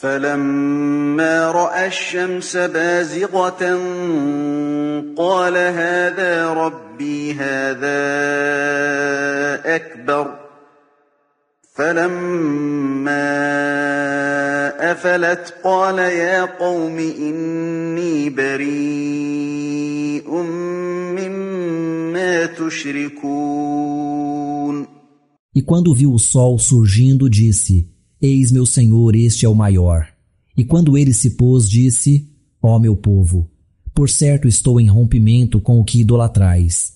فَلَمَّا رَأَى الشَّمْسَ بَازِغَةً قَالَ هَٰذَا رَبِّي هَٰذَا أَكْبَرُ فَلَمَّا أَفَلَتْ قَالَ يَا قَوْمِ إِنِّي بَرِيءٌ مِّمَّا تُشْرِكُونَ. E quando viu o sol surgindo, disse: Eis meu Senhor, este é o maior. E quando ele se pôs, disse: Ó meu povo, por certo estou em rompimento com o que idolatrais.